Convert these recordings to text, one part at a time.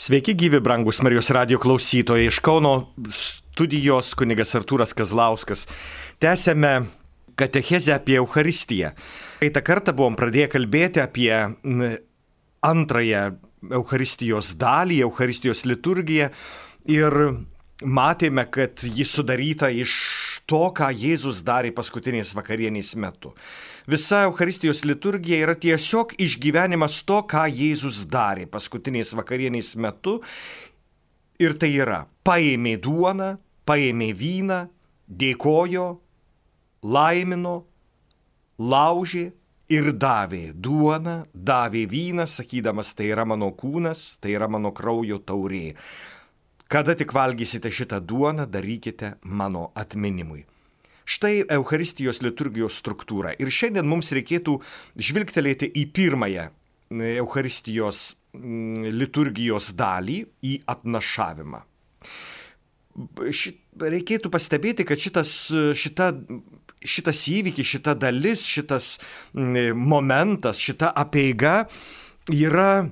Sveiki gyvi, brangus Marijos radijo klausytojai. Iš Kauno studijos kunigas Artūras Kazlauskas. Tęsiame katechezę apie Eucharistiją. Praeitą kartą buvom pradėję kalbėti apie antrąją Eucharistijos dalį, Eucharistijos liturgiją. Ir matėme, kad ji sudaryta iš to, ką Jėzus darė paskutinės vakarienės metu. Visa Eucharistijos liturgija yra tiesiog išgyvenimas to, ką Jėzus darė paskutinės vakarienės metu. Ir tai yra: paėmė duoną, paėmė vyną, dėkojo, laimino, laužė ir davė duoną, davė vyną, sakydamas, tai yra mano kūnas, tai yra mano kraujo taurė. Kada tik valgysite šitą duoną, darykite mano atminimui. Štai Eucharistijos liturgijos struktūra. Ir šiandien mums reikėtų žvilgtelėti į pirmąją Eucharistijos liturgijos dalį, į atnašavimą. Reikėtų pastebėti, kad šitas įvykis, šita dalis, šitas momentas, šita apeiga yra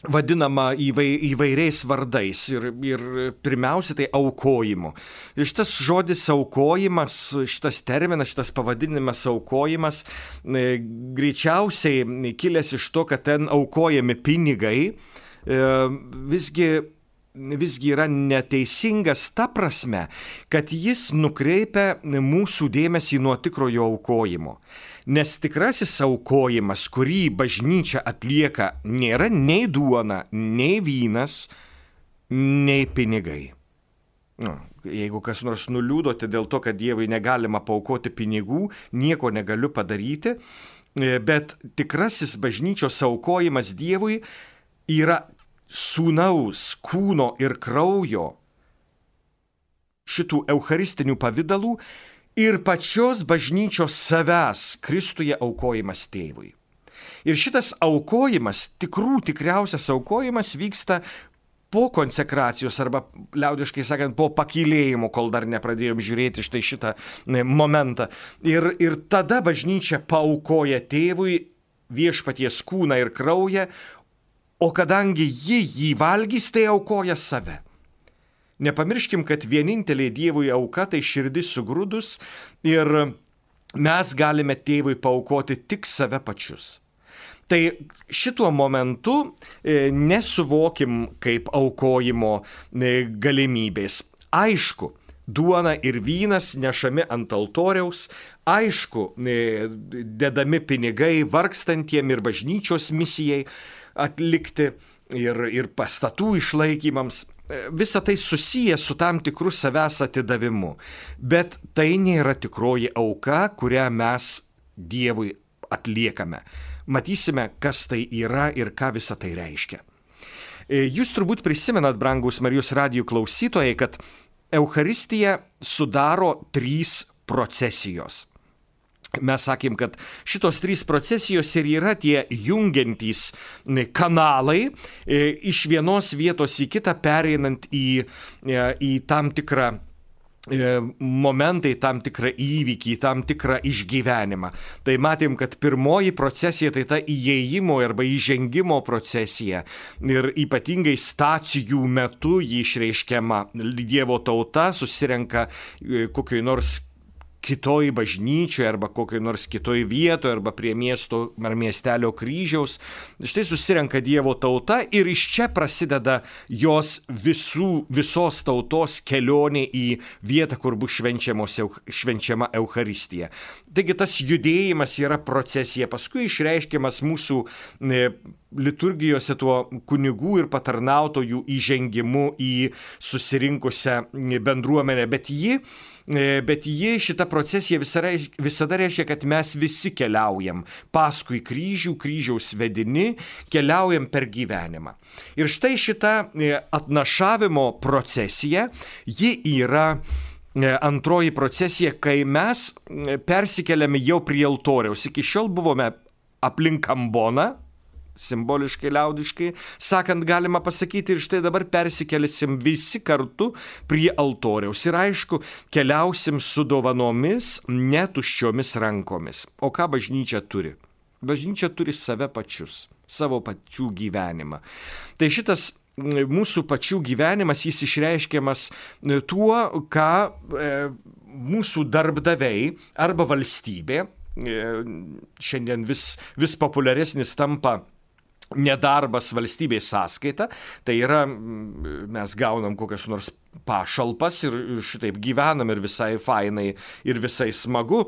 vadinama įvairiais vardais ir pirmiausia tai aukojimu. Ir šitas žodis aukojimas, šitas terminas, šitas pavadinimas aukojimas greičiausiai kilęs iš to, kad ten aukojami pinigai, visgi yra neteisingas ta prasme, kad jis nukreipia mūsų dėmesį nuo tikrojo aukojimo. Nes tikrasis aukojimas, kurį bažnyčia atlieka, nėra nei duona, nei vynas, nei pinigai. Jeigu kas nors nuliūdote dėl to, kad Dievui negalima paaukoti pinigų, nieko negaliu padaryti, bet tikrasis bažnyčios aukojimas Dievui yra sūnaus, kūno ir kraujo, šitų eucharistinių pavydalų ir pačios bažnyčios savęs Kristuje aukojimas tėvui. Ir šitas aukojimas, tikriausias aukojimas vyksta po konsekracijos arba, liaudiškai sakant, po pakylėjimo, kol dar nepradėjom žiūrėti štai šitą momentą. Ir tada bažnyčia paaukoja tėvui viešpaties kūną ir kraują, o kadangi ji jį valgys, tai aukoja save. Nepamirškim, kad vienintelė Dievui auka tai širdis sugrūdus ir mes galime tėvui paaukoti tik save pačius. Tai šituo momentu nesuvokim kaip aukojimo galimybės. Aišku, duona ir vynas nešami ant altoriaus, aišku, dedami pinigai vargstantiem ir bažnyčios misijai atlikti ir pastatų išlaikymams. Visa tai susiję su tam tikru savęs atidavimu. Bet tai nėra tikroji auka, kurią mes Dievui atliekame. Matysime, kas tai yra ir ką visa tai reiškia. Jūs turbūt prisimenat, brangus Marijos radijo klausytojai, kad Eucharistiją sudaro 3 procesijos. Mes sakėm, kad šitos 3 procesijos ir yra tie jungiantys kanalai iš vienos vietos į kitą, pereinant į tam tikrą momentą, į tam tikrą įvykį, į tam tikrą išgyvenimą. Tai matėm, kad pirmoji procesija tai ta įėjimo arba įžengimo procesija. Ir ypatingai stacijų metu jį išreiškiama. Dievo tauta susirenka kokioj nors kitoj bažnyčioje arba kokioj nors kitoj vietoje arba prie miesto ar miestelio kryžiaus. Štai susirenka Dievo tauta ir iš čia prasideda jos visos tautos kelionė į vietą, kur bus švenčiama Eucharistija. Taigi tas judėjimas yra procesija, paskui išreiškiamas mūsų liturgijose tuo kunigų ir patarnautojų įžengimu į susirinkusią bendruomenę, bet ji šita procesija visada reiškia, kad mes visi keliaujam paskui kryžių, kryžiaus vedini, keliaujam per gyvenimą. Ir štai šita atnašavimo procesija, ji yra antroji procesija, kai mes persikeliame jau prie altoriaus. Iki šiol buvome aplink amboną, simboliškai, liaudiškai sakant, galima pasakyti, ir štai dabar persikelisim visi kartu prie altoriaus. Ir aišku, keliausim su dovanomis, netuščiomis rankomis. O ką bažnyčia turi? Bažnyčia turi save pačius, savo pačių gyvenimą. Tai šitas mūsų pačių gyvenimas jis išreiškiamas tuo, ką mūsų darbdaviai arba valstybė, šiandien vis populiaresnis tampa nedarbas valstybės sąskaita, tai yra mes gaunam kokias nors pašalpas ir šitaip gyvenam ir visai fainai ir visai smagu,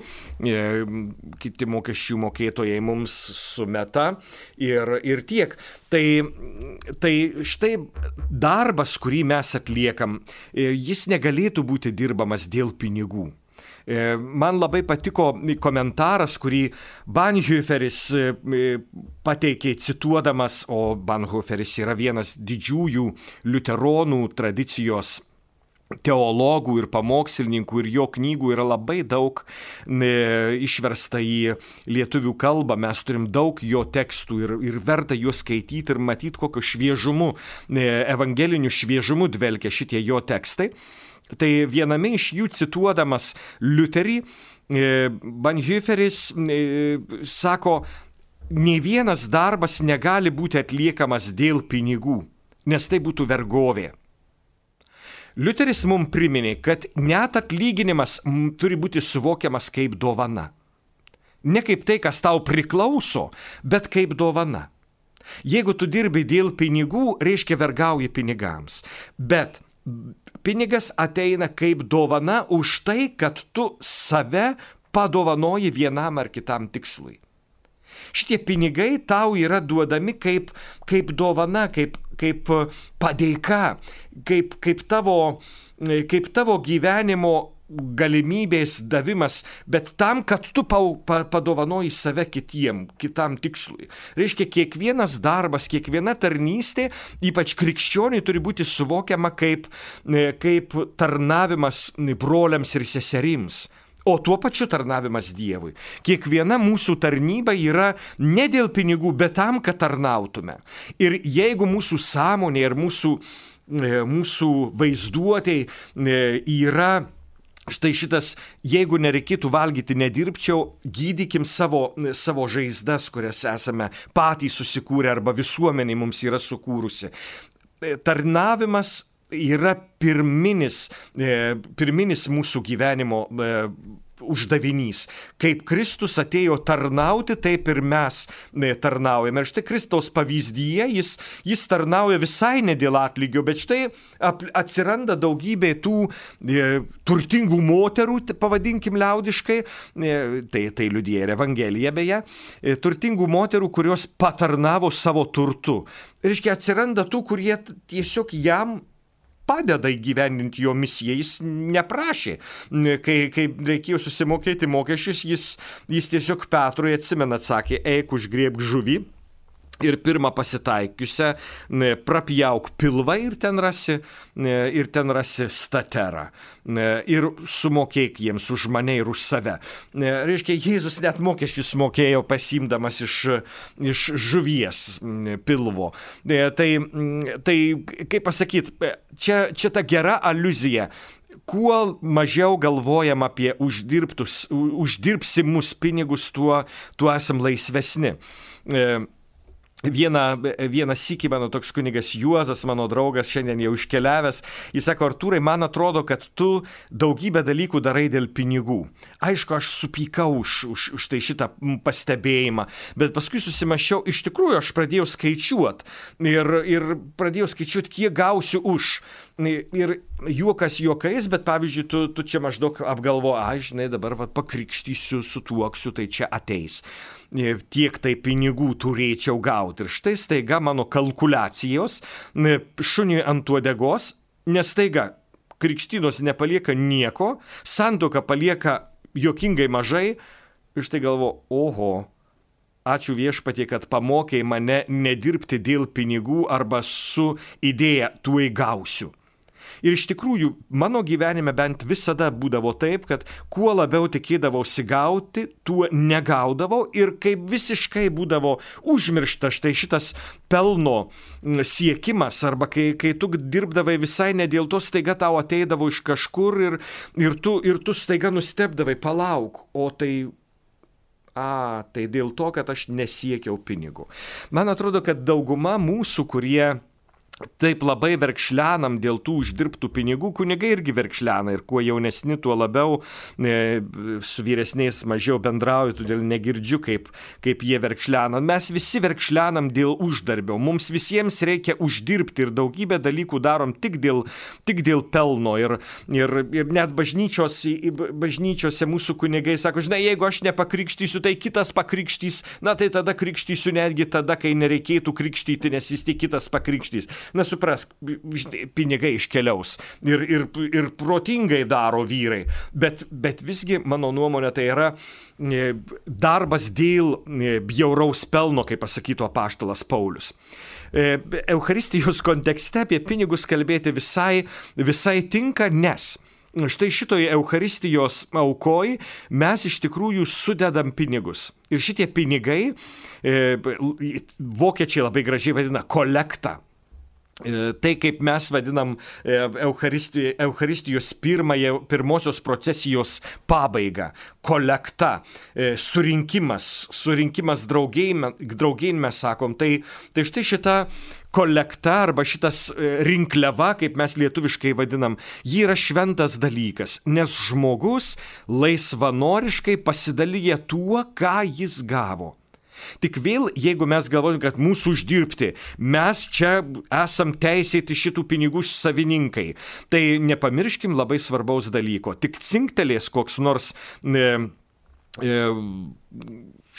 kiti mokesčių mokėtojai mums sumeta ir tiek. Tai štai darbas, kurį mes atliekam, jis negalėtų būti dirbamas dėl pinigų. Man labai patiko komentaras, kurį Bonhoefferis pateikė cituodamas, o Bonhoefferis yra vienas didžiųjų liuteronų tradicijos teologų ir pamokslininkų, ir jo knygų yra labai daug išversta į lietuvių kalbą. Mes turim daug jo tekstų ir verta juos skaityti ir matyti, kokiu šviežumu, evangeliniu šviežumu dvelkia šitie jo tekstai. Tai viename iš jų cituodamas Liuterį, Bonhoefferis sako, nei vienas darbas negali būti atliekamas dėl pinigų, nes tai būtų vergovė. Liuteris mums priminė, kad net atlyginimas turi būti suvokiamas kaip dovana. Ne kaip tai, kas tau priklauso, bet kaip dovana. Jeigu tu dirbi dėl pinigų, reiškia vergauji pinigams. Bet pinigas ateina kaip dovana už tai, kad tu save padovanoji vienam ar kitam tikslui. Šitie pinigai tau yra duodami kaip dovana, kaip padėka, kaip tavo gyvenimo galimybės davimas, bet tam, kad tu padovanoji save kitam tikslui. Reiškia, kiekvienas darbas, kiekviena tarnystė, ypač krikščioniui, turi būti suvokiama kaip tarnavimas broliams ir seserims. O tuo pačiu tarnavimas Dievui. Kiekviena mūsų tarnyba yra ne dėl pinigų, bet tam, kad tarnautume. Ir jeigu mūsų sąmonė ir mūsų vaizduotėj yra štai šitas, jeigu nereikėtų valgyti, nedirbčiau, gydykim savo žaizdas, kurias esame patys susikūrę arba visuomenė mums yra sukūrusi. Tarnavimas yra pirminis mūsų gyvenimo uždavinys. Kaip Kristus atėjo tarnauti, taip ir mes tarnaujame. Ir štai Kristaus pavyzdyje jis tarnauja visai ne dėl atlygio, bet štai atsiranda daugybė tų turtingų moterų, pavadinkim liaudiškai, tai liudija ir Evangelija beje, turtingų moterų, kurios patarnavo savo turtu. Reiškia, atsiranda tų, kurie tiesiog jam padeda įgyvendinti jo misiją, jis neprašė. Kai reikėjo susimokėti mokesčius, jis tiesiog Petrui, atsimena, atsakė, eik užgriebk žuvį ir pirmą pasitaikiusią prapjauk pilvą ir ten rasi staterą. Ir sumokėk jiems už mane ir už save. Reiškia, Jėzus net mokesčius mokėjo pasimdamas iš žuvies pilvo. Tai kaip pasakyti, čia ta gera aliuzija. Kuo mažiau galvojam apie uždirbsimus pinigus, tuo esam laisvesni. Vieną sykį mano toks kunigas Juozas, mano draugas, šiandien jau iškeliavęs, jis sako, Artūrai, man atrodo, kad tu daugybę dalykų darai dėl pinigų. Aišku, aš supykau už tai šitą pastebėjimą, bet paskui susimaščiau, iš tikrųjų aš pradėjau skaičiuoti ir pradėjau skaičiuoti, kiek gausiu už. Ir juokas juokais, bet pavyzdžiui, tu čia maždaug apgalvo, žinai, dabar pakrikštysiu, sutuoksiu, tai čia ateis. Tiek tai pinigų turėčiau gauti. Ir štai staiga mano kalkuliacijos šuniui ant uodegos, nes staiga krikštynos nepalieka nieko, santuoka palieka juokingai mažai, ir štai galvo, oho, ačiū Viešpatie, kad pamokei mane nedirbti dėl pinigų arba su idėja tuoj gausiu. Ir iš tikrųjų, mano gyvenime bent visada būdavo taip, kad kuo labiau tikėdavausi gauti, tuo negaudavau ir kaip visiškai būdavo užmiršta štai šitas pelno siekimas, arba kai tu dirbdavai visai ne dėl to, staiga tau ateidavo iš kažkur ir tu staiga nustebdavai, palauk, o tai dėl to, kad aš nesiekiau pinigų. Man atrodo, kad dauguma mūsų, kurie taip labai verkšlenam dėl tų uždirbtų pinigų, kunigai irgi verkšlena ir kuo jaunesni, tuo labiau su vyresniais mažiau bendrauju, todėl negirdžiu, kaip jie verkšlena. Mes visi verkšlenam dėl uždarbio, mums visiems reikia uždirbti ir daugybę dalykų darom tik dėl pelno ir net bažnyčiose mūsų kunigai sako, žinai, jeigu aš nepakrikštysiu, tai kitas pakrikštys, na tai tada krikštysiu netgi tada, kai nereikėtų krikštyti, nes vis tik kitas pakrikštys. Na, suprask, pinigai iškeliaus ir protingai daro vyrai, bet visgi, mano nuomonė, tai yra darbas dėl bjauraus pelno, kaip pasakytų apaštalas Paulius. Eucharistijos kontekste apie pinigus kalbėti visai tinka, nes štai šitoje Eucharistijos aukoj mes iš tikrųjų sudedam pinigus. Ir šitie pinigai, vokiečiai labai gražiai vadina kolektą. Tai, kaip mes vadinam Eucharistijos pirmosios procesijos pabaigą, kolekta, surinkimas draugėn mes sakom, tai štai šita kolekta arba šitas rinkliava, kaip mes lietuviškai vadinam, ji yra šventas dalykas, nes žmogus laisvanoriškai pasidalyja tuo, ką jis gavo. Tik vėl, jeigu mes galvojame, kad mūsų uždirbti, mes čia esam teisėti šitų pinigų savininkai, tai nepamirškim labai svarbaus dalyko. Tik cinktelės koks nors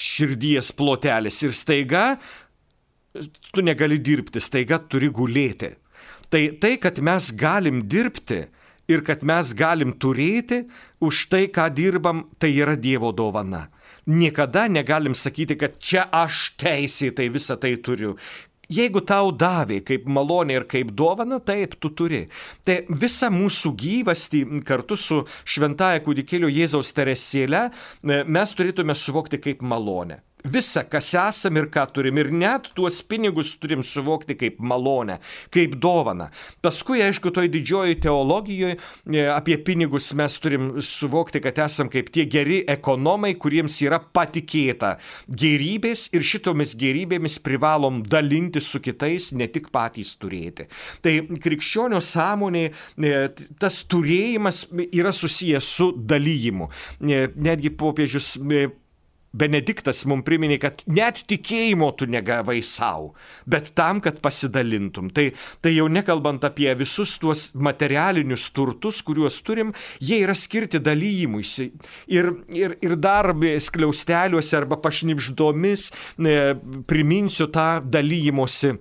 širdies plotelis ir staiga tu negali dirbti, staiga turi gulėti. Tai, kad mes galim dirbti ir kad mes galim turėti, už tai, ką dirbam, tai yra Dievo dovana. Niekada negalim sakyti, kad čia aš teisėtai visą tai turiu. Jeigu tau davė kaip malonė ir kaip dovana, taip, tu turi. Tai visą mūsų gyvastį kartu su šventaja kūdikėlio Jėzaus Teresėle mes turėtume suvokti kaip malonę. Visa, kas esam ir ką turim, ir net tuos pinigus turim suvokti kaip malonę, kaip dovaną. Paskui, aišku, toj didžioji teologijoje apie pinigus mes turim suvokti, kad esam kaip tie geri ekonomai, kuriems yra patikėta gerybės ir šitomis gerybėmis privalom dalinti su kitais, ne tik patys turėti. Tai krikščionio sąmonė, tas turėjimas yra susijęs su dalyjimu. Netgi popiežius Benediktas mums priminė, kad net tikėjimo tu negavai savo, bet tam, kad pasidalintum. Tai jau nekalbant apie visus tuos materialinius turtus, kuriuos turim, jie yra skirti dalyjimuisi. Ir dar skliausteliuose arba pašnibždomis priminsiu tą dalyjimosi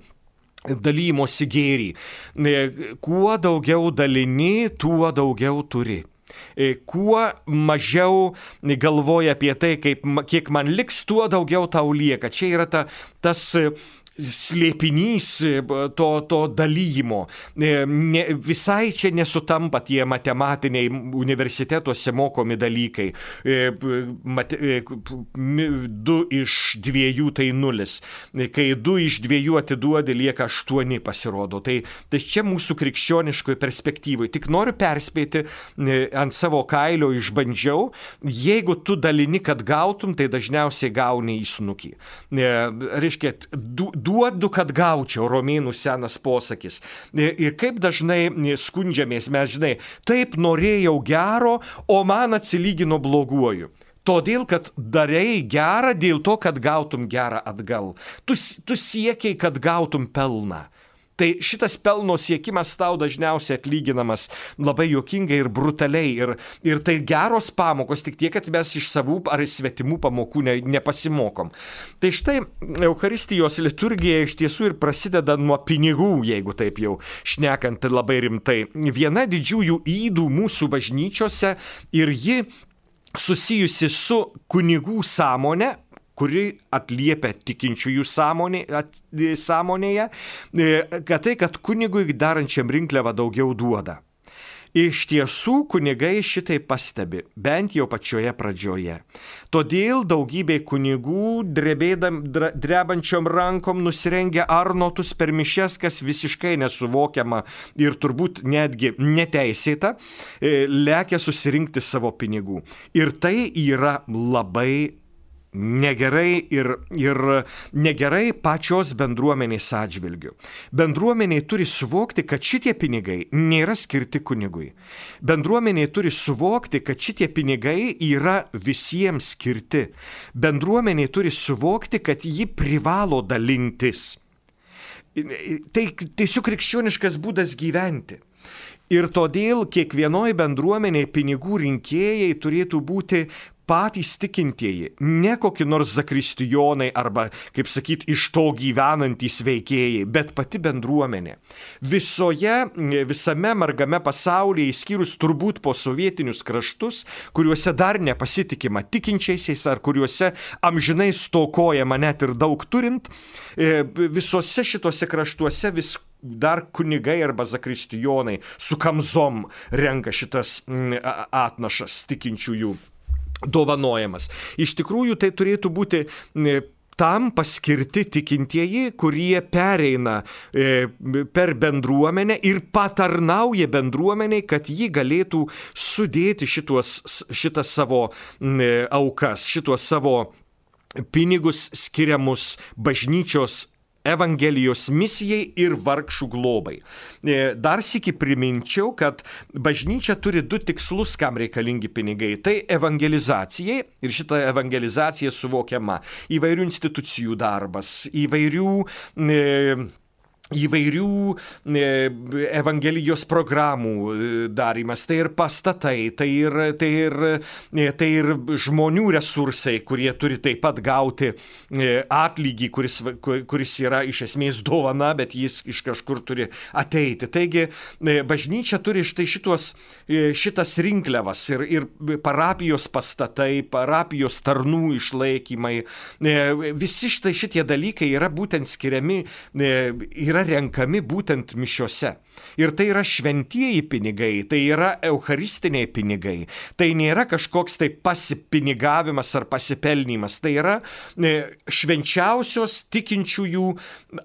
gėrį. Kuo daugiau dalini, tuo daugiau turi. Kuo mažiau galvoja apie tai, kiek man liks, tuo daugiau tau lieka. Čia yra tas slėpinys to dalyjimo. Visai čia nesutampa tie matematiniai universitetuose mokomi dalykai. 2 iš 2 tai 0. Kai 2 iš 2 atiduodi, lieka 8 pasirodo. Tai čia mūsų krikščioniškoje perspektyvoje. Tik noriu perspėti, ant savo kailio išbandžiau, jeigu tu dalini, kad gautum, tai dažniausiai gauni į snukį. Reiškia, duodu, kad gaučiau, romėnų senas posakis. Ir kaip dažnai skundžiamės mes, žinai, taip norėjau gero, o man atsilygino bloguoju. Todėl, kad darei gerą dėl to, kad gautum gerą atgal. Tu siekiai, kad gautum pelną. Tai šitas pelno siekimas tau dažniausiai atlyginamas labai juokingai ir brutaliai. Ir tai geros pamokos, tik tiek, kad mes iš savų ar svetimų pamokų nepasimokom. Tai štai Eucharistijos liturgija iš tiesų ir prasideda nuo pinigų, jeigu taip jau šnekant labai rimtai. Viena didžiųjų ydų mūsų bažnyčiose ir ji susijusi su kunigų sąmonė, kuri atliepia tikinčiųjų sąmonėje, kad kunigui darančiam rinkliavą daugiau duoda. Iš tiesų kunigai šitai pastebi, bent jau pačioje pradžioje. Todėl daugybė kunigų drebančiom rankom nusirengia arnotus per mišias, kas visiškai nesuvokiama ir turbūt netgi neteisėta, lekia susirinkti savo pinigų. Ir tai yra labai negerai ir negerai pačios bendruomenės atžvilgiu. Bendruomeniai turi suvokti, kad šitie pinigai nėra skirti kunigui. Bendruomeniai turi suvokti, kad šitie pinigai yra visiems skirti. Bendruomeniai turi suvokti, kad ji privalo dalintis. Tai tiesiog krikščioniškas būdas gyventi. Ir todėl kiekvienoje bendruomenėje pinigų rinkėjai turėtų būti patys tikintieji, ne kokie nors zakristijonai arba, kaip sakyt, iš to gyvenantys veikėjai, bet pati bendruomenė. Visame margame pasaulyje, išskyrus turbūt po sovietinius kraštus, kuriuose dar nepasitikima tikinčiaisiais ar kuriuose amžinai stokojama net ir daug turint, visose šitose kraštuose vis dar kunigai arba zakristijonai su kamzom renka šitas atnašas tikinčiųjų dovanojamas. Iš tikrųjų, tai turėtų būti tam paskirti tikintieji, kurie pereina per bendruomenę ir patarnauja bendruomeniai, kad ji galėtų sudėti šitas savo aukas, šitos savo pinigus skiriamus bažnyčios Evangelijos misijai ir vargšų globai. Dar sykį priminčiau, kad bažnyčia turi 2 tikslus, kam reikalingi pinigai. Tai evangelizacijai, ir šita evangelizacija suvokiama įvairių institucijų darbas, įvairių evangelijos programų darymas, tai ir pastatai, tai ir žmonių resursai, kurie turi taip pat gauti atlygį, kuris yra iš esmės dovana, bet jis iš kažkur turi ateiti. Taigi bažnyčia turi štai šitas rinkliavas ir parapijos pastatai, parapijos tarnų išlaikymai. Visi šitie dalykai yra būtent skiriami, yra renkami būtent mišiose. Ir tai yra šventieji pinigai, tai yra eucharistiniai pinigai. Tai nėra kažkoks tai pasipinigavimas ar pasipelnymas. Tai yra švenčiausios tikinčiųjų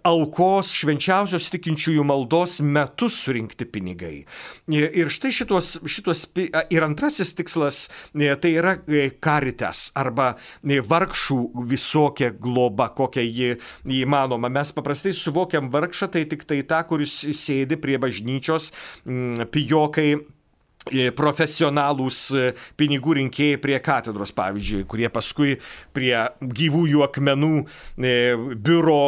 aukos, švenčiausios tikinčiųjų maldos metu surinkti pinigai. Ir štai šitos ir antrasis tikslas, tai yra caritas arba vargšų visokia globa, kokia ji įmanoma. Mes paprastai suvokiam vargšą, tai tik tai tą, kuris sėdi prie bažnyčios, pijokai, profesionalūs pinigų rinkėjai prie katedros, pavyzdžiui, kurie paskui prie gyvųjų akmenų biuro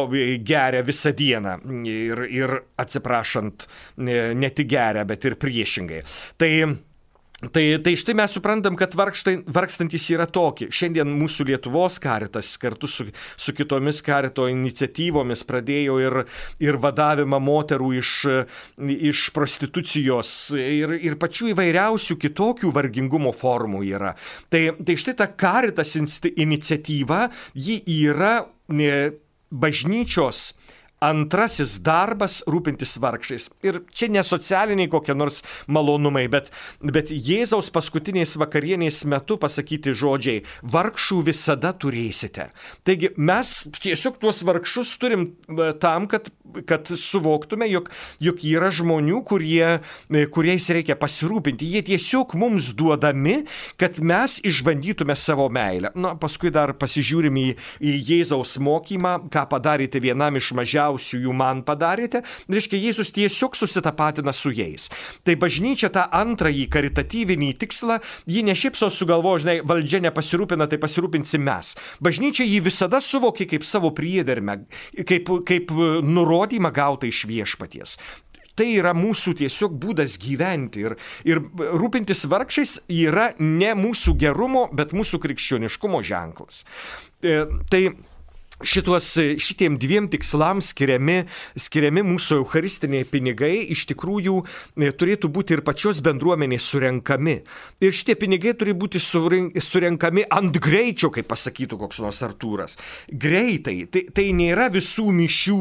geria visą dieną ir atsiprašant, ne tik geria, bet ir priešingai. Tai štai mes suprantam, kad vargstantis yra tokie. Šiandien mūsų Lietuvos Caritas kartu su kitomis Carito iniciatyvomis pradėjo ir vadavimą moterų iš prostitucijos ir pačių įvairiausių kitokių vargingumo formų yra. Tai štai ta Caritas iniciatyva, ji yra bažnyčios antrasis darbas rūpintis vargšais. Ir čia ne socialiniai kokie nors malonumai, bet Jėzaus paskutinės vakarienės metu pasakyti žodžiai: vargšų visada turėsite. Taigi mes tiesiog tuos vargšus turim tam, kad suvoktume, jog yra žmonių, kuriais reikia pasirūpinti. Jie tiesiog mums duodami, kad mes išbandytume savo meilę. Paskui dar pasižiūrim į Jėzaus mokymą, ką padarėte vienam iš mažiausių, jų man padarėte. Reiškia, Jėzus tiesiog susitapatina su jais. Tai bažnyčia tą antrąjį karitatyvinį tikslą, ji ne šiaip sau sugalvojo, žinai, valdžia nepasirūpina, tai pasirūpinsim mes. Bažnyčia jį visada suvokė kaip savo priedermę, kaip nurodymą gautą iš viešpaties. Tai yra mūsų tiesiog būdas gyventi ir rūpintis vargšais yra ne mūsų gerumo, bet mūsų krikščioniškumo ženklas. Tai šitiem 2 tikslams skiriami mūsų eucharistiniai pinigai iš tikrųjų turėtų būti ir pačios bendruomenės surenkami. Ir šitie pinigai turi būti surenkami ant greičio, kaip pasakytų koks nors Artūras. Greitai. Tai nėra visų mišių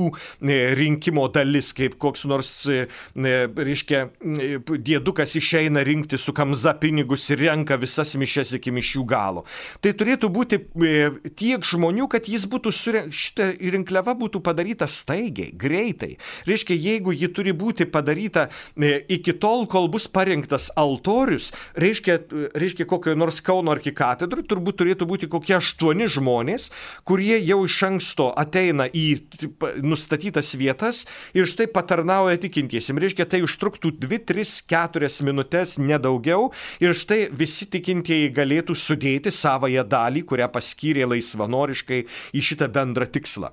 rinkimo dalis, kaip koks nors, reiškia, diedukas išeina rinkti su kamza pinigus ir renka visas mišias iki mišių galo. Tai turėtų būti tiek žmonių, kad jis būtų surinktas šita rinkliava būtų padaryta staigiai, greitai. Reiškia, jeigu ji turi būti padaryta iki tol, kol bus parinktas altorius, reiškia kokio nors Kauno arkikatedrų, turbūt turėtų būti kokie 8 žmonės, kurie jau iš anksto ateina į nustatytas vietas ir štai patarnauja tikintiesiems. Reiškia, tai užtruktų 2, 3, 4 minutės, nedaugiau, ir štai visi tikintieji galėtų sudėti savąją dalį, kurią paskyrė laisvanoriškai į šitą bendrą tikslą.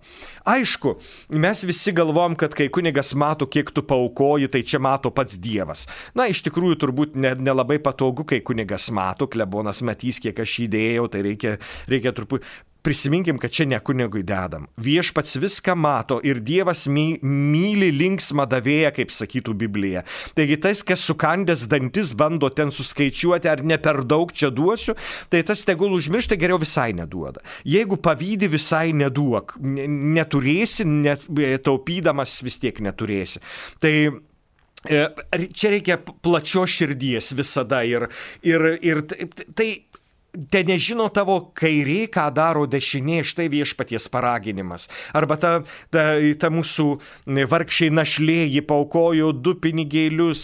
Aišku, mes visi galvom, kad kai kunigas mato, kiek tu paaukoji, tai čia mato pats Dievas. Na, iš tikrųjų, turbūt nelabai patogu, kai kunigas mato, klebonas matys, kiek aš įdėjau, tai reikia truputį. Prisiminkim, kad čia ne kunigui dedam. Viešpats viską mato ir Dievas myli linksmą davėją, kaip sakytų Biblija. Taigi tas, kas sukandęs dantis bando ten suskaičiuoti, ar ne per daug čia duosiu, tai tas tegul užmiršta, geriau visai neduoda. Jeigu pavydi, visai neduok. Neturėsi, taupydamas vis tiek neturėsi. Tai čia reikia plačios širdies visada ir tai te nežino tavo kairė, ką daro dešinė, štai viešpaties paraginimas. Arba ta mūsų vargšiai našlė, ji paaukojo 2 pinigėlius,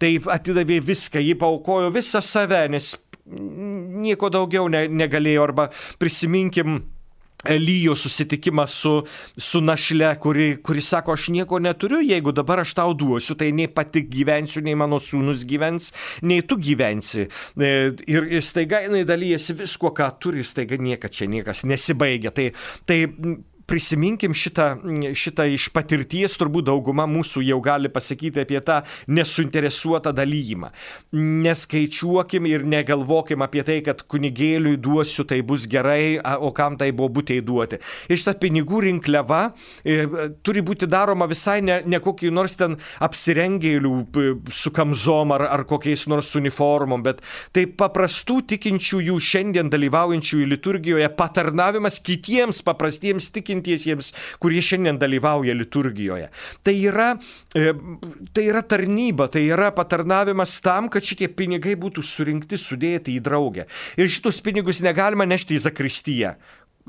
tai atidavė viską, ji paaukojo visą save, nes nieko daugiau negalėjo. Arba prisiminkim Elijo susitikimą su našle, kuri sako, aš nieko neturiu, jeigu dabar aš tau duosiu, tai nei pati gyvensiu, nei mano sūnus gyvens, nei tu gyvensi. Ir staiga jinai dalyjasi visko, ką turi, staiga niekas nesibaigia. Tai prisiminkim šitą iš patirties, turbūt dauguma mūsų jau gali pasakyti apie tą nesuinteresuotą dalyjimą. Neskaičiuokim ir negalvokim apie tai, kad kunigėliui duosiu, tai bus gerai, o kam tai buvo būtei duoti. Ir šitą pinigų rinkliava turi būti daroma visai ne kokį nors ten apsirengėlių su kamzom ar kokiais nors uniformom, bet tai paprastų tikinčiųjų šiandien dalyvaujančiųjų liturgijoje patarnavimas kitiems paprastiems tikinčiųjų, kurie šiandien dalyvauja liturgijoje. Tai yra tarnyba, tai yra patarnavimas tam, kad šitie pinigai būtų surinkti, sudėti į draugę. Ir šitus pinigus negalima nešti į zakristiją.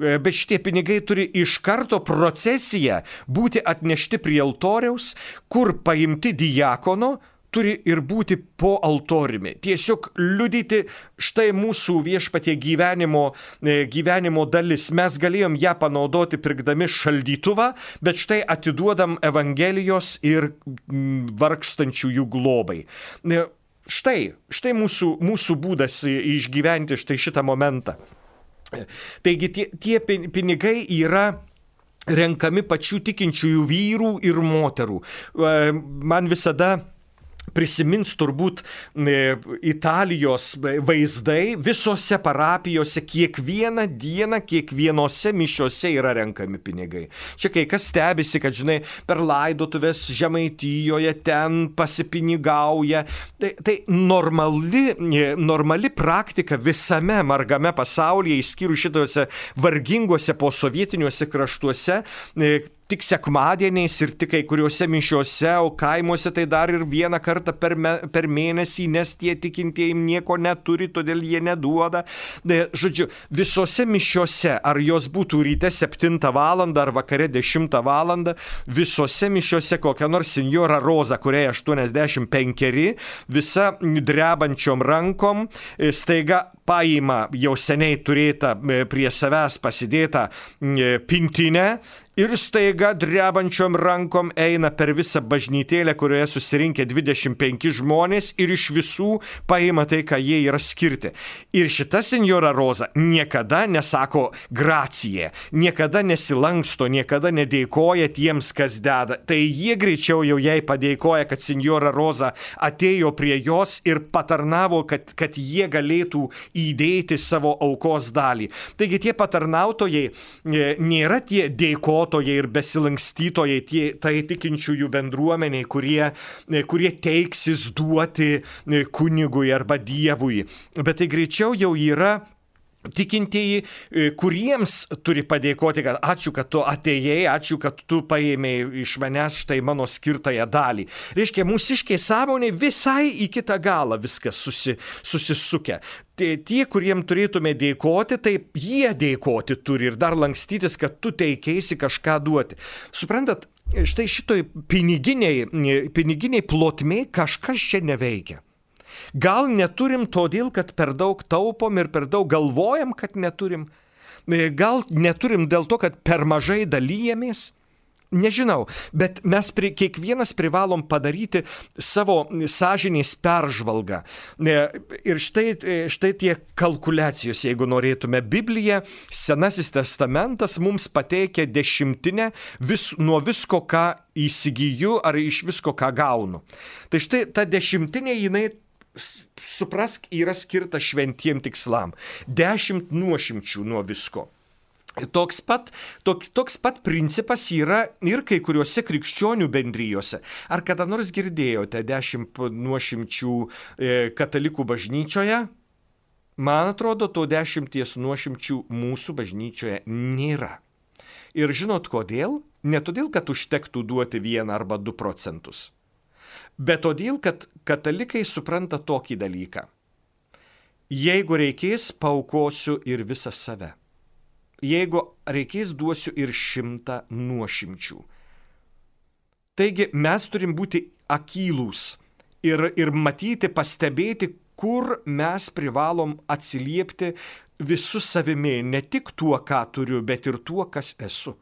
Bet šitie pinigai turi iš karto procesiją būti atnešti prie altoriaus, kur paimti diakono, turi ir būti po altoriumi. Tiesiog liudyti štai mūsų viešpatie gyvenimo dalis. Mes galėjom ją panaudoti pirkdami šaldytuvą, bet štai atiduodam Evangelijos ir vargstančiųjų globai. Štai mūsų būdas išgyventi štai šitą momentą. Taigi tie pinigai yra renkami pačių tikinčiųjų vyrų ir moterų. Man visada prisimins turbūt Italijos vaizdai, visose parapijose kiekvieną dieną, kiekvienose mišiose yra renkami pinigai. Čia kai kas stebisi, kad, žinai, per laidotuvės Žemaitijoje ten pasipinigauja. Tai normali praktika visame margame pasaulyje, išskyrus šitose varginguose posovietiniuose kraštuose, tik sekmadieniais ir tik kai kuriuose mišiuose, o kaimuose tai dar ir vieną kartą per mėnesį, nes tie tikintieji nieko neturi, todėl jie neduoda. Žodžiu, visose mišiuose, ar jos būtų ryte 7 valandą ar vakare 10 valandą, visose mišiuose kokia nors senjora Roza, kuriai 85, visa drebančiom rankom, staiga paima jau seniai turėtą prie savęs pasidėtą pintinę, ir staiga drebančiom rankom eina per visą bažnytėlę, kurioje susirinkę 25 žmonės, ir iš visų paima tai, ką jie yra skirti. Ir šita senjora Roza niekada nesako gracija, niekada nesilanksto, niekada nedėkoja tiems, kas deda. Tai jie greičiau jau jai padėkoja, kad senjora Roza atėjo prie jos ir patarnavo, kad jie galėtų įdėti savo aukos dalį. Taigi tie patarnautojai nėra tie dėkotojai ir besilankstytojai, tai tikinčiųjų bendruomeniai, kurie teiksis duoti kunigui arba Dievui. Bet tai greičiau jau yra tikintieji, kuriems turi padėkoti, kad ačiū, kad tu atėjai, ačiū, kad tu paėmėjai iš manęs štai mano skirtąją dalį. Reiškia, mūsiškiai sąmonė visai į kitą galą viskas susisukę. Tie, kuriem turėtume dėkoti, tai jie dėkoti turi ir dar lankstytis, kad tu teikėsi kažką duoti. Suprantat, štai šitoj piniginiai plotmė kažkas čia neveikia. Gal neturim todėl, kad per daug taupom ir per daug galvojam, kad neturim. Gal neturim dėl to, kad per mažai dalyjamės. Nežinau, bet mes kiekvienas privalom padaryti savo sąžinės peržvalgą. Ir štai tie kalkuliacijos, jeigu norėtume. Biblija, Senasis testamentas mums pateikia dešimtinę nuo visko, ką įsigyju ar iš visko, ką gaunu. Tai štai ta dešimtinė, jinai suprask, yra skirta šventiem tikslam. 10 nuošimčių nuo visko. Toks pat principas yra ir kai kuriuose krikščionių bendrijose. Ar kada nors girdėjote 10 nuošimčių katalikų bažnyčioje? Man atrodo, to 10 nuošimčių mūsų bažnyčioje nėra. Ir žinot kodėl? Ne todėl, kad užtektų duoti 1 arba 2 procentus. Bet todėl, kad katalikai supranta tokį dalyką. Jeigu reikės, paaukosiu ir visą save. Jeigu reikės, duosiu ir 100 nuošimčių. Taigi mes turim būti akylūs ir matyti, pastebėti, kur mes privalom atsiliepti visu savimi, ne tik tuo, ką turiu, bet ir tuo, kas esu.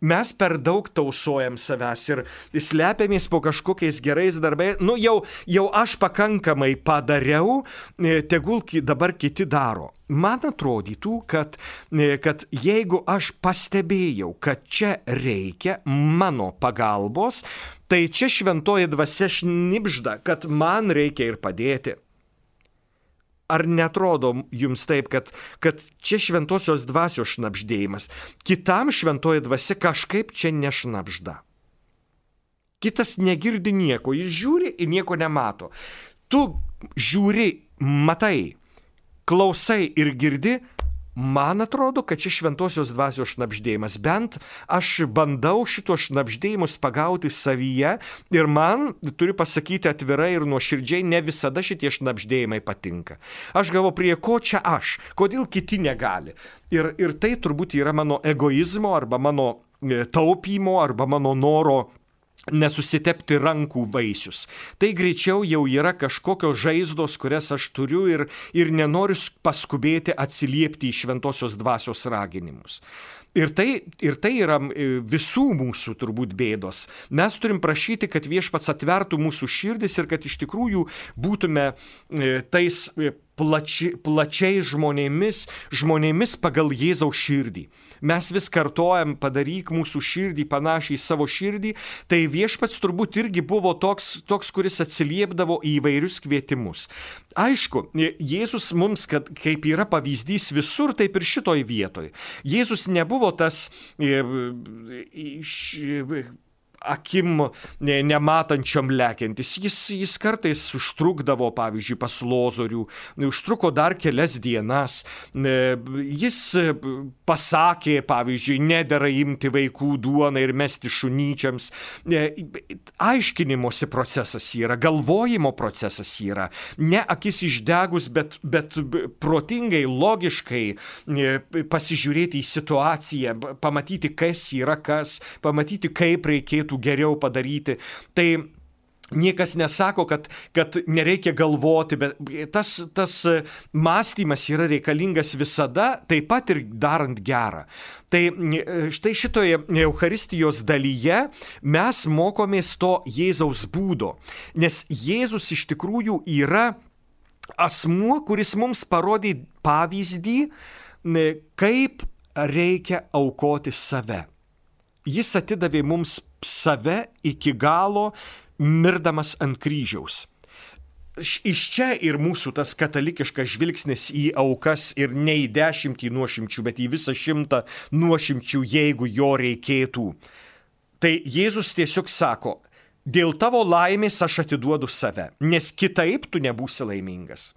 Mes per daug tausojam savęs ir slepiamės po kažkokiais gerais darbais. Jau aš pakankamai padariau, tegul dabar kiti daro. Man atrodytų, kad jeigu aš pastebėjau, kad čia reikia mano pagalbos, tai čia šventoji dvasia šnibžda, kad man reikia ir padėti. Ar netrodo jums taip, kad čia šventosios dvasios šnabždėjimas? Kitam šventoji dvasia kažkaip čia nešnabžda. Kitas negirdi nieko, jis žiūri ir nieko nemato. Tu žiūri, matai, klausai ir girdi. Man atrodo, kad čia šventosios dvasios šnabždėjimas. Bent aš bandau šito šnabždėjimus pagauti savyje ir man, turiu pasakyti atvirai ir nuoširdžiai, ne visada šitie šnabždėjimai patinka. Aš galvoju, prie ko čia aš? Kodėl kiti negali? Ir tai turbūt yra mano egoizmo arba mano taupymo arba mano noro nesusitepti rankų vaisius. Tai greičiau jau yra kažkokios žaizdos, kurias aš turiu ir nenoriu paskubėti atsiliepti į šventosios dvasios raginimus. Ir tai yra visų mūsų turbūt bėdos. Mes turim prašyti, kad viešpats atvertų mūsų širdis ir kad iš tikrųjų būtume tais plačiais žmonėmis pagal Jėzaus širdį. Mes vis kartojam, padaryk mūsų širdį panašiai į savo širdį, tai viešpats turbūt irgi buvo toks, kuris atsiliepdavo į įvairius kvietimus. Aišku, Jėzus mums, kaip yra pavyzdys visur, taip ir šitoj vietoj. Jėzus nebuvo tas akim nematančiam lekiantis. Jis kartais užtrukdavo, pavyzdžiui, pas Lozorių, užtruko dar kelias dienas. Jis pasakė, pavyzdžiui, nedera imti vaikų duoną ir mesti šunyčiams. Aiškinimosi procesas yra, galvojimo procesas yra. Ne akis išdegus, bet protingai, logiškai pasižiūrėti į situaciją, pamatyti, kas yra kas, pamatyti, kaip reikėtų geriau padaryti. Tai niekas nesako, kad nereikia galvoti, bet tas mąstymas yra reikalingas visada, taip pat ir darant gerą. Tai štai šitoje Eucharistijos dalyje mes mokomės to Jėzaus būdo, nes Jėzus iš tikrųjų yra asmuo, kuris mums parodė pavyzdį, kaip reikia aukoti save. Jis atidavė mums save iki galo, mirdamas ant kryžiaus. Iš čia ir mūsų tas katalikiškas žvilgsnis į aukas ir ne į 10 nuošimčių, bet į visą 100 nuošimčių, jeigu jo reikėtų. Tai Jėzus tiesiog sako, dėl tavo laimės aš atiduodu save, nes kitaip tu nebūsi laimingas.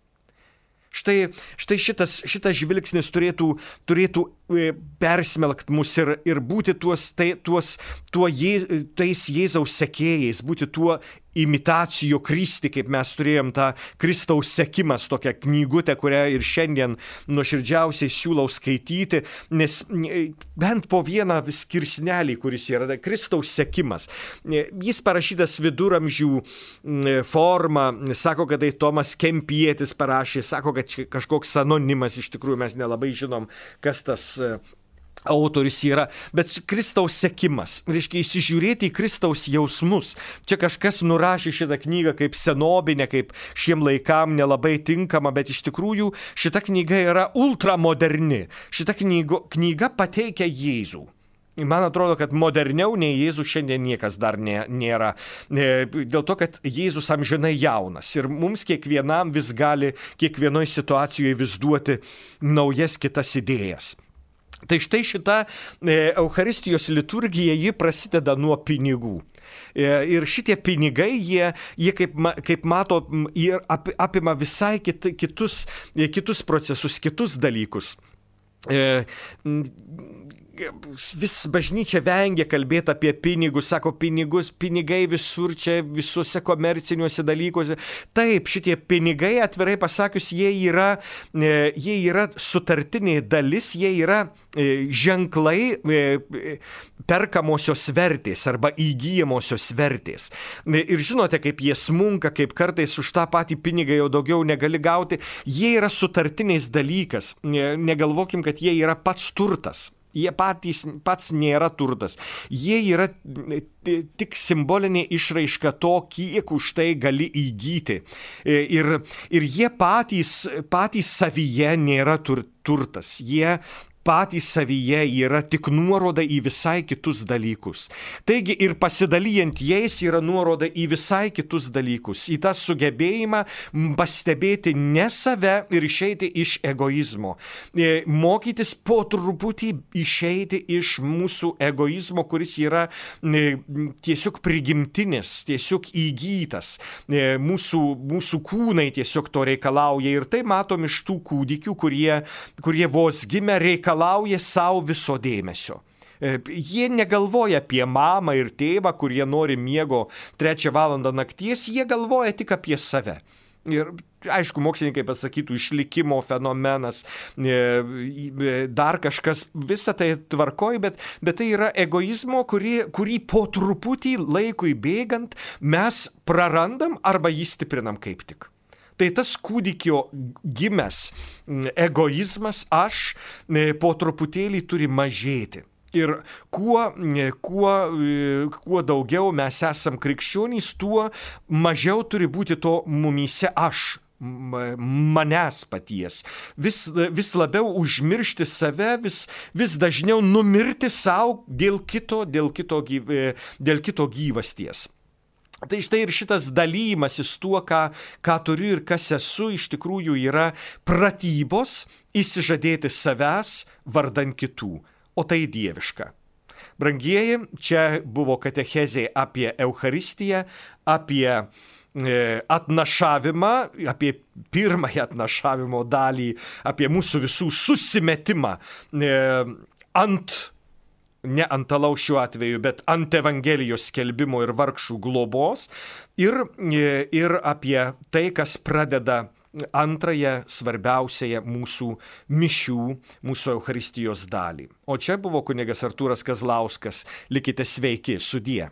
Štai šitas žvilgsnis turėtų persmelkt mus ir būti tais Jėzaus sekėjais, būti tuo imitacijo Kristi, kaip mes turėjom tą Kristaus sekimas, tokią knygutę, kurią ir šiandien nuoširdžiausiai siūlau skaityti, nes bent po vieną skirsnelį, kuris yra Kristaus sekimas. Jis parašytas viduramžių forma, sako, kad tai Tomas Kempietis parašė, sako, kad kažkoks anonimas, iš tikrųjų mes nelabai žinom, kas tas autorius yra, bet Kristaus sekimas, reiškia įsižiūrėti į Kristaus jausmus. Čia kažkas nurašė šitą knygą kaip senobinę, kaip šiem laikam nelabai tinkama, bet iš tikrųjų šita knyga yra ultramoderni. Šita knyga pateikia Jėzų. Man atrodo, kad moderniau nei Jėzus šiandien niekas dar nėra. Dėl to, kad Jėzus amžinai jaunas ir mums kiekvienam vis gali kiekvienoje situacijoje vis duoti naujas kitas idėjas. Tai štai šita Eucharistijos liturgija, ji prasideda nuo pinigų. Ir šitie pinigai, jie kaip mato, apima visai kitus procesus, kitus dalykus. Vis bažnyčia vengia kalbėti apie pinigus, sako pinigai visur čia, visuose komerciniuose dalykuose. Taip, šitie pinigai, atvirai pasakius, jie yra sutartinė dalis, jie yra ženklai perkamosios vertės arba įgyjamosios vertės. Ir žinote, kaip jie smunka, kaip kartais už tą patį pinigą jau daugiau negali gauti. Jie yra sutartiniais dalykas. Negalvokim, kad jie yra pats turtas. Jie pats nėra turtas. Jie yra tik simbolinė išraiška to, kiek už tai gali įgyti. Ir jie patys savyje nėra turtas. Jie patys savyje yra tik nuoroda į visai kitus dalykus. Taigi ir pasidalijant jais yra nuoroda į visai kitus dalykus, į tą sugebėjimą pastebėti ne save ir išeiti iš egoizmo. Mokytis po truputį išeiti iš mūsų egoizmo, kuris yra tiesiog prigimtinis, tiesiog įgytas. Mūsų kūnai tiesiog to reikalauja ir tai matom iš tų kūdikių, kurie vos gimę reikalauja savo viso dėmesio. Jie negalvoja apie mamą ir tėvą, kurie nori miego 3 valandą nakties, jie galvoja tik apie save. Ir aišku, mokslininkai pasakytų išlikimo fenomenas, dar kažkas, visa tai tvarkoj, bet tai yra egoizmo, kurį po truputį laikui bėgant mes prarandam arba jį stiprinam kaip tik. Tai tas kūdikio gimęs egoizmas, aš, po truputėlį turi mažėti. Ir kuo daugiau mes esam krikščionys, tuo mažiau turi būti to mumyse aš, manęs paties. Vis labiau užmiršti save, vis dažniau numirti savo dėl kito gyvasties. Tai štai ir šitas dalymasis tuo, ką turiu ir kas esu, iš tikrųjų yra pratybos įsižadėti savęs vardan kitų, o tai dieviška. Brangieji, čia buvo katechezė apie Eucharistiją, apie atnašavimą, apie pirmąją atnašavimo dalį, apie mūsų visų susimetimą ne ant alaus šiuo atveju, bet ant Evangelijos skelbimo ir vargšų globos ir apie tai, kas pradeda antrąją svarbiausiąją mūsų mišių, mūsų Eucharistijos dalį. O čia buvo kunigas Artūras Kazlauskas. Likite sveiki, sudie.